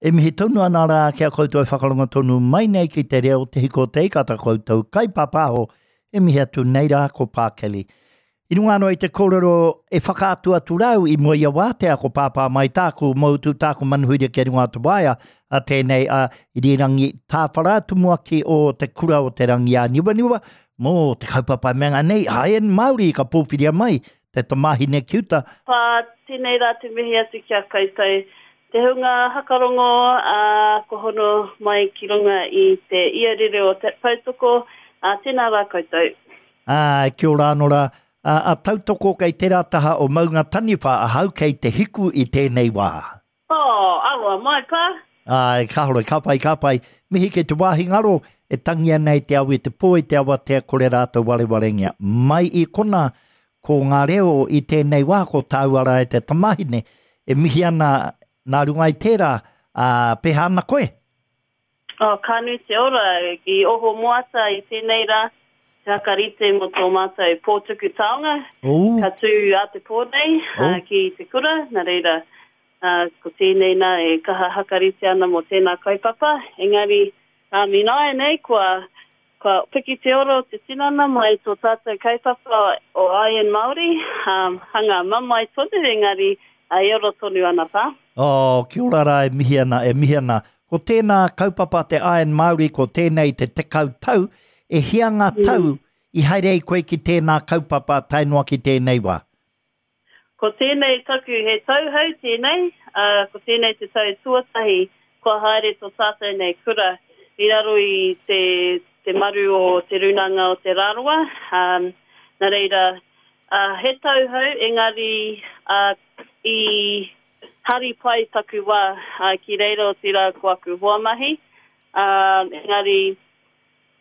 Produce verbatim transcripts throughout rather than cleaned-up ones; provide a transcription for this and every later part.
E mihi tonu ana rā ki a koutou e whakarongo tonu mai nei ki te reo te hiko te ika ta koutou kaipāpāho e mihi atu nei rā ko Pā Kelly. I runga anō i te kōrero e whakaatu atu rau i mua i a wātea ko Pāpā mai tāku moutu tāku manuhiri ki runga o te waea a tēnei a Irirangi Tāwhara tumuaki o te kura o te rangi āniwaniwa mō te kaupapa e mea nei Iron Māori ka pōwhiria mai te tamāhine ki uta. Pā, tēnei rā te mihi atu ki a koutou. Te hunga hakarongo, ā, kua hono mai ki runga i te iarere o te Tautoko, ā, tēnā rā koutou. Ā, kia ora anō rā. Ā, a Tautoko kei tērā taha o Maunga Taniwha ahau kei te hiku i tēnei wā. Oh, aroha mai, pā. Āe, kāore, ka pai, ka pai. Mihi ki te wāhi ngaro e tangi ana i te au i te pō, i te awatea, kore rātou warewarengia. Mai i konā, ko ngā reo i tēnei wā, ko tāua rā e te tamāhine, e mihi ana nā runga i tērā, ā, pēhea ana koe? Oh, ka nui te ora, i oho moata i tēnei rā, te hakarite mō tō mātou pō tuku taonga, Ooh. ka tū a te pō nei, Oh. ā, ki te kura, nā reira, ā, ko tēnei nā e kaha hakarite ana mō tēnā kaupapa, engari, ā, ināianei kua, kua piki te ora o te tinana mai tō tātou kaupapa o Iron Māori, ā, hanga mamae tonu, engari, ā, e ora tonu ana pā. Oh, kia ora rā e mihi ana, e mihi ana. Ko tēnā kaupapa te Iron Māori, ko tēnei te tekau tau, e hia ngā tau i haere ai koe ki tēnā kaupapa tae noa ki tēnei wā? Ko tēnei taku he tauhou tēnei, ā, ko tēnei te tau tuatahi kua haere tō tātou nei kura i raro i te, te maru o Te Rūnanga o Te Rarawa. Um, nā reira, ā, he tauhou, engari ā, i hari pai taku wā ā, ki reira o tērā ko aku hoa mahi. Um, engari,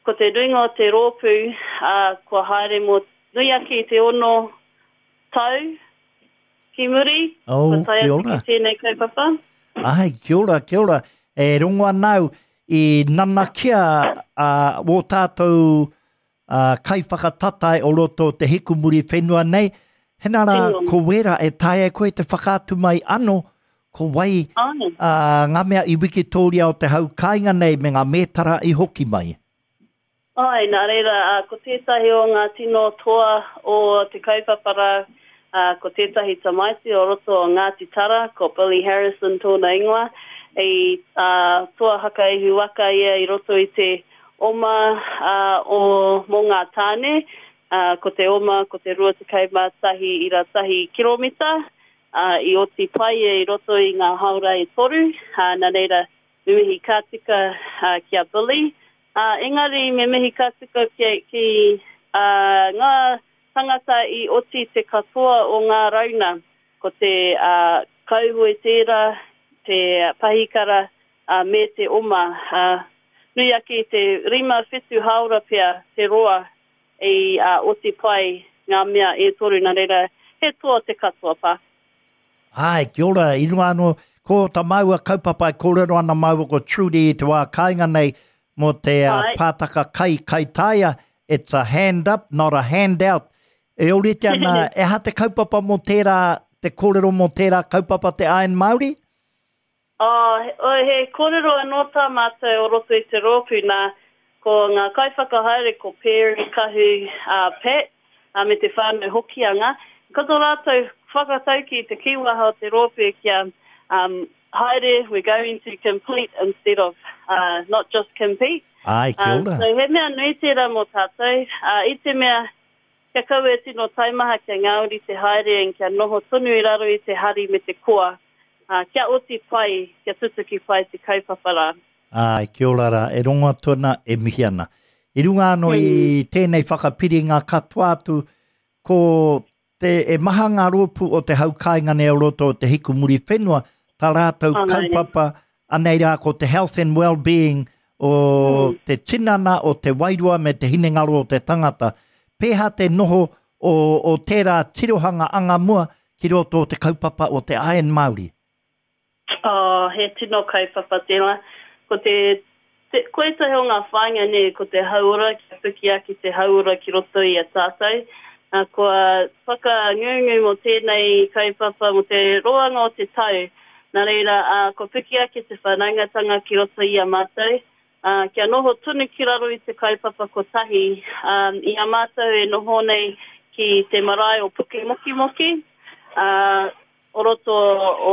ko te nuinga o te rōpū, ā, kua haere mō nui ake i te ono tau ki muri, Oh, kua tae kia atu ora. ki tēnei kaupapa. Ai, kia ora, kia ora. E rongo ana au i nanakia a wō tātou a, kaiwhakatatae o roto o te hikumuri whenua nei. Hena rā, Tino. ko wera e taea e koe te whakaatu mai ano, ko wai Ai. a, ngā mea i Wikitoria o te hau kāinga nei me ngā mētara i hoki mai. Ai, nā reira, ā, ko tētahi o ngā tino toa o te kaupapa rā, ā, ko tētahi tamaiti o roto o Ngāti Tara, ko Billy Harrison tōna ingoa, i ā, toa hakaihu waka ia i roto i te oma ā, o mō ngā tāne, ā, ko te oma ko te rua tekau mā tahi ira tahi kiromita, ā, i oti pai ia i roto i ngā haora e toru, ā, nā reira, me mihi ka tika ā, ki a Billy. Ā, engari me mihi ka tika ki, ki ā, ngā tangata i oti te katoa o ngā rauna, ko te ā, kauhoe tērā, te pahikara, ā, me te oma. Ā, nui ake i te rima whitu haora pea te roa i ā, oti pai ngā mea e toru, nā reira, he toa te katoa pā. Ai, kia ora, i runga anō, ko tā māua kaupapa e kōrero ana māua ko Trudy i te wā kāinga nei mō te uh, Ai. pātaka kai kaitaia, it's a hand up, not a handout. E ōrite ana, e aha te kaupapa mō tērā, te kōrero mō tērā kaupapa te Iron Māori? Oh, he, oh, he kōrero anō tā mātou o roto i te rōpū nā, ko ngā kaiwhakahaere ko Perry, Kahu, uh, Pat, uh, me te whānau Hokianga. Ko tō rātou whakatauki te kīwaha o te rōpū kia um, haere, we're going to complete instead of uh, not just compete. Ai, kia Um, ora. so he mea nui tērā mō tātou, uh, i te mea kia kaua e tino taimaha kia ngāori te haere and kia noho tonu i raro i te hari me te koa, uh, kia oti pai, kia tutuki pai te kaupapa rā. Ai, kia ora rā, e rongo atu ana, e mihi ana. I runga anō i tēnei whakapiringa katoa atu, ko te, e maha ngā rōpū o te hau kāinga nei o roto o te hikumuri whenua, tā rātou Ai. kaupapa, anei rā ko te health and well-being o Mm. te tinana, o te wairua me te hinengaro o te tangata. Pēhea te noho o, o tērā tirohanga anga mua ki roto o te kaupapa o te Iron Māori? Oh, he tino kaupapa tērā. Ko te, te, ko ētahi o ngā whāinga nei, ko te hauora, kia piki ake te hauora ki roto i a tātou. Uh, kua whakangungu mō tēnei kaupapa, mō te roanga o te tau. Nā reira, uh, ko piki ake te whanaungatanga ki roto i a mātou, uh, kia noho tonu ki raro i te kaupapa kotahi, um, i a mātou e noho nei ki te marae o Pukemokimoki, uh, o roto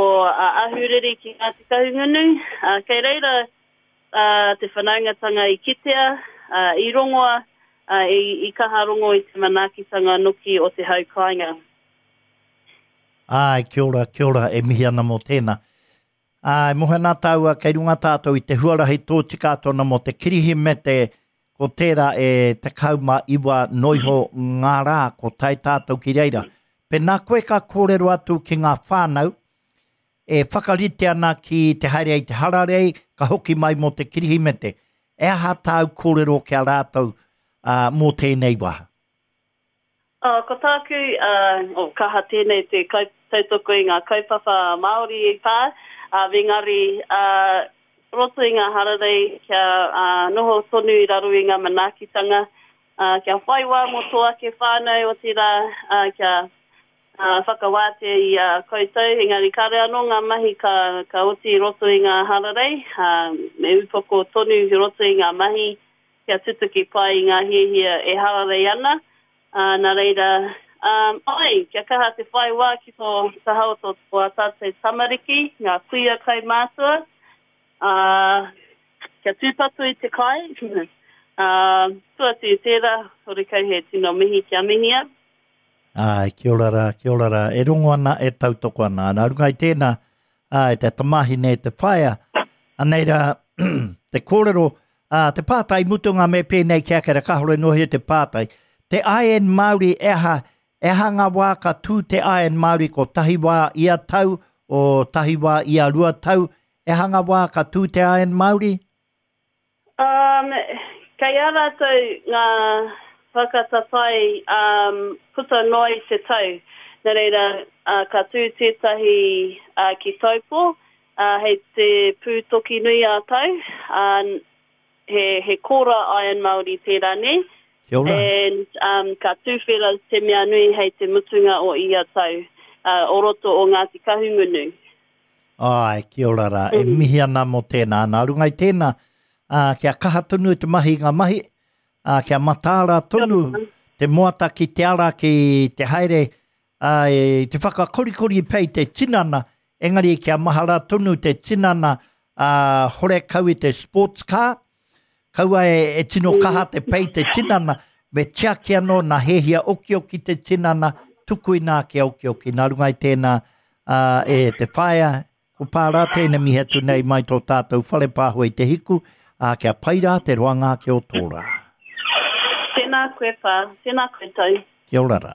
o uh, Ahuriri ki Ngāti Kahungunu. Uh, kei reira uh, te whanaungatanga i kitea, uh, i rongoa, uh, i, i kaha rongo i te manaakitanga noki o te hau kāinga. Ai, kia ora, kia ora, e mihi ana mō tēnā. Ai, mohe nā tāua, kei runga tātou i te huarahi tōtika atu ana mō te Kirihimete, ko tērā e tekau mā iwa noiho ngā rā, ko tae tātou ki reira. Pēnā koe ka kōrero atu ki ngā whānau, e whakarite ana ki te haere i te hararei, ka hoki mai mō te Kirihimete. E aha tāu kōrero ki a rātou uh, mō tēnei wā? Oh, ko tāku, uh, oh, kaha tēnei te tautoko i ngā kaupapa Māori i pā, uh, engari uh, roto i ngā hararei kia uh, noho tonu i raro i ngā manaakitanga, uh, kia whai wā mō tō ake whānau o te rā, uh, kia uh, whakawātea i a uh, koutou, engari kare anō ngā mahi ka, ka oti i roto i ngā hararei, uh, me upoko tonu i roto i ngā mahi kia tutuki pai i ngā hiahia e hararei ana. Uh, nā reira, um, ai, kia kaha te whai wā ki tō taha o tō tō tātou tamariki, ngā kuia kaumātua, uh, kia tūpato i te kai, uh, tua atu i tērā, horekau he tino mihi kia mihia. Ai, kia ora rā, kia ora rā. E rongo ana, e tautoko ana. Nā runga i tēnā, ai, te tamāhine, te whaea, anei rā, te kōrero, uh, te pātai mutunga me pēnei kia kera kahore nohi te pātai. Te Iron Māori e aha, e aha ngā wā ka tū te Iron Māori ko tahi wā ia tau, o tahi wā ia rua tau, e aha ngā wā ka tū te Iron Māori? Um, kei a rātou ngā whakataetae um, puta noa i te tau. Nā reira, uh, ka tū tētahi uh, ki Taupo, uh, hei te pūtoki nui a tau, uh, he, he kora Iron Māori tērā nei. Kia ora. And um, ka tūwhera te mea nui hei te mutunga o ia tau, uh, o roto o Ngāti Kahungunu. Ai, kia ora rā. E mihi ana mō tēnā. Nā runga i tēnā, uh, kia kaha tonu te mahi ngā mahi, uh, kia mataara tonu te moata ki te ara ki te haere, uh, e, te whakakorikori pei te tinana, engari kia mahara tonu te tinana uh, horekau i te sports car, kaua e, e tino kaha te pei te tinana, me tiaki anō nā hehia okioki te tinana, tuku inā kia okioki. Nā runga i tēnā uh, e te whaea, ko pārā tēnei mihi atu nei mai tō tātou whare pāho i te hiku, uh, kia pai rā te roanga ake o tō rā. Tēnā koe pā, tēnā koutou. Kia ora rā.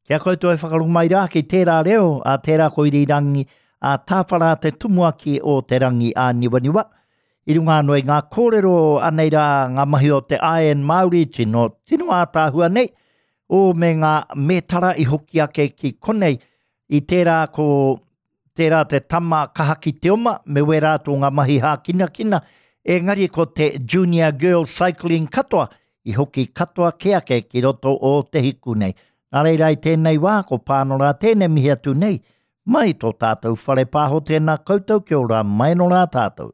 Kia koutou e whakarongo mai rā ki tērā reo, a tērā ko Irirangi, a tāwhara te tumuaki o te rangi a niwaniwa. I runga anō i ngā kōrero anei rā ngā mahi o te Iron Māori, tino, tino ātaahua nei, o me ngā mētara i hoki ake ki konei, i tērā ko tērā te tama kaha ki te oma, me wērā tō ngā mahi hākinakina, engari ko te Junior Girl Cycling katoa, i hoki katoa ke ake ki roto o te hiku nei. Nā reira i tēnei wā, ko Pānora tēnei mihi atu nei, mai tō tātou whare pāho tēnā koutou, kia ora mai nō rā tātou.